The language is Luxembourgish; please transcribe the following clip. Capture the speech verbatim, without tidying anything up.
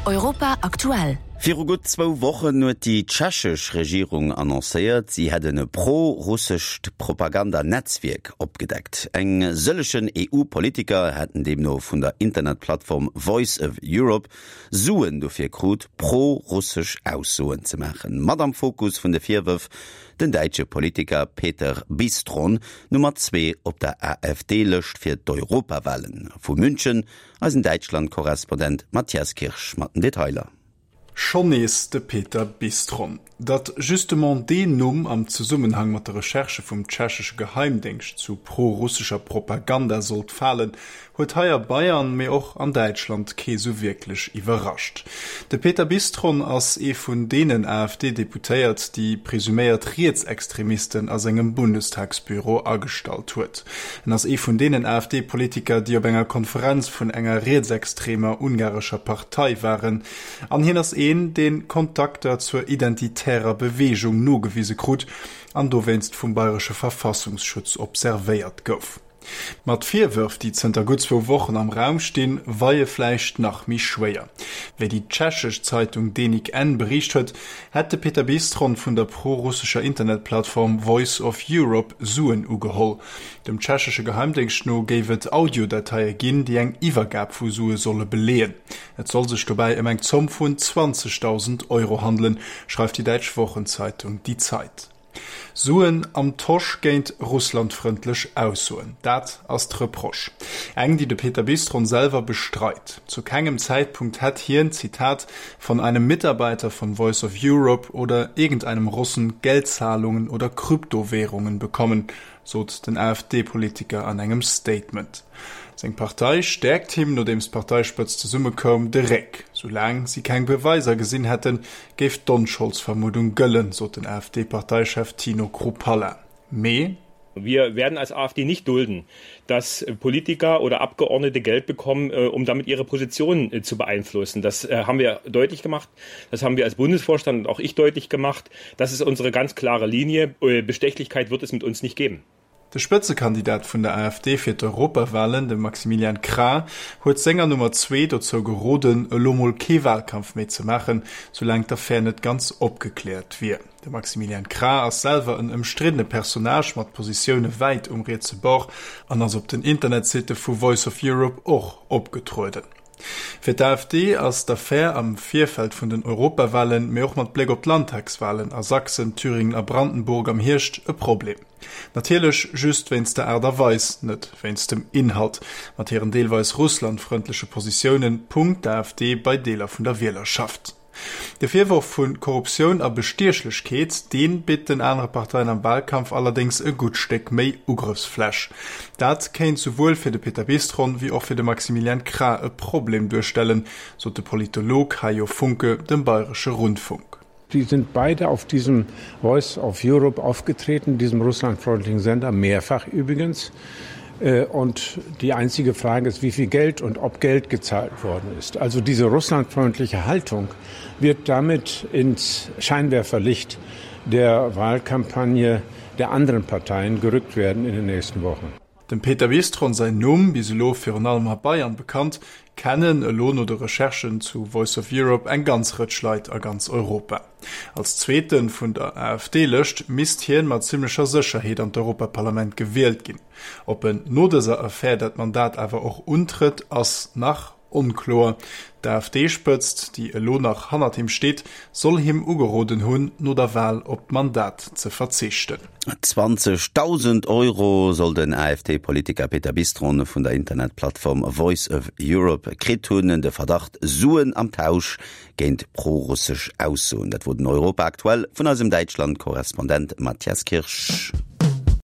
Europa aktuell. Viru gutt zwou Wochen huet déi tschechesch Regierung annoncéiert, si hätt en pro-russescht Propagandanetzwierk opgedeckt. Eng sëllegen EU-Politiker hätten deemno vun der Internetplattform Voice of Europe Suen dofir krut, pro-russesch Aussoen ze maachen. Mat am Fokus vun de Virwërf, den däitsche Politiker Peter Bystron, Nummer zwee op der AfD-Lëscht fir d'Europawalen. Vu München eisen Däitschland-Korrespondent Matthias Kirsch mat den Detailer. Schonn nees de Peter Bystron. Datt justement deen Numm am Zesummenhang mat de Recherchë vum tschechesche Geheimdéngscht zu pro-russescher Propaganda sollt falen, huet hei a Bayern, mee och an Däitschland kee sou wierklech iwwerrascht. De Peter Bystron ass ee vun deenen AfD-Deputéiert, déi presuméiert Rietsextremisten a sengem Bundestagsbüro agestallt huet. En ass ee vun deenen AfD-Politiker, déi op enger Konferenz vun enger rietsextremer ungarescher Partei waren. An hien ass een, dee Kontakter zur Identitärer Beweegung nogewise krut an dowéinst vum bayresche Verfassungsschutz observéiert gouf. Ma d'Virwërf, déi zënter gutt zwou Wochen am Raum stinn, weie vläicht nach méi schwéier. Wéi déi tschechesch Zeitung Deník N beriicht huet, hätt de Peter Bystron vun der pro-russescher Internetplattform Voice of Europe Suen ugeholl. Dem tschechesche Geheimdéngscht no géif et Audiodateie ginn, déi eng Iwwergab vu Sue solle beleeën. Et soll sech dobäi ëm eng Zomm vun zwanzegdausend Euro handelen, schreift déi däitsch Wochenzeitung Die Zeit. Suen am Tosch géint russlandfrëndlech Aussoen, dat ass d'Reproche. Eng, déi de Peter Bystron selwer bestreit. Zu kengem Zäitpunkt hätt hien, Zitat, von einem Mitarbeiter von Voice of Europe oder irgendeinem Russen Geldzahlungen oder Kryptowährungen bekommen, sot den AfD-Politiker an engem Statement. Seng Partei stäerkt him, nodeems d'Parteispëtzt zesummekoum, de Réck. Soulaang si keng Beweiser gesinn hätten, géif d'Onscholdsvermuddung gëllen, sot den AfD-Parteichef Tino Chrupalla. Mee. Wir werden als AfD nicht dulden, dass Politiker oder Abgeordnete Geld bekommen, um damit ihre Position zu beeinflussen. Das haben wir deutlich gemacht. Das haben wir als Bundesvorstand und auch ich deutlich gemacht. Das ist unsere ganz klare Linie. Bestechlichkeit wird es mit uns nicht geben. De Spëtzekandidat vun der AfD fir d'Europawalen, de Maximilian Krah, huet senger Nummer zwee dozou geroden, elo mol kee Walkampf méi ze maachen, soulaang d'Affär net ganz opgekläert wier. De Maximilian Krah ass selwer en ëmstriddene Personnage mat Positioune wäit um rietse Bord an ass op den Internetsitte vu Voice of Europe och opgetrueden. Fir d'AfD ass d'Affär am Virfeld vun den Europawalen, mee och mat Bléck op d'Landtagswalen a Sachsen, Thüringen a Brandenburg am Hierscht e Problem. Natierlech just wéinst der Aart a Weis, net wéinst dem Inhalt. Mat hiren deelweis russlandfrëndleche Positioune punkt d'AfD bei Deeler vun der Wielerschaft. De Virworf vu Korruptioun a Bestiechlechkeet, dee bitt den anere Parteien am Walkampf allerdéngs e gutt Stéck méi Ugrëffsfläch. Dat kéint souwuel fir de Peter Bystron wéi och fir de Maximilian Krah e Problem duerstellen, sot de Politolog Hajo Funke dem Bayresche Rundfunk. Die sind beide auf diesem Voice of Europe aufgetreten, diesem russlandfreundlichen Sender, mehrfach übrigens. Und die einzige Frage ist, wie viel Geld und ob Geld gezahlt worden ist. Also diese russlandfreundliche Haltung wird damit ins Scheinwerferlicht der Wahlkampagne der anderen Parteien gerückt werden in den nächsten Wochen. Dem Peter Bystron säin Numm, bis elo virun allem a Bayern bekannt, kennen elo no de Recherchen zu Voice of Europe eng ganz Rëtsch Leit a ganz Europa. Als Zweete vun der AfD-Lëscht misst hien mat zimmlecher Sécherheet an d'Europaparlament gewielt ginn. Ob en no dëser Affär dat Mandat awer och untrëtt, ass nach onkloer. D'AfD-Spëtzt, déi elo nach hannert him steet, soll him ugeroden hunn, no der Wal op d'Mandat ze verzichten. Zwanzegdausend Euro soll den AfD-Politiker Peter Bystron vun der Internetplattform Voice of Europe kritt hunn. De Verdacht, Suen am Tausch géint prorussesch Aussoen. Dat wor den Europa Aktuell vun eisem Däitschland-Korrespondent Matthias Kirsch.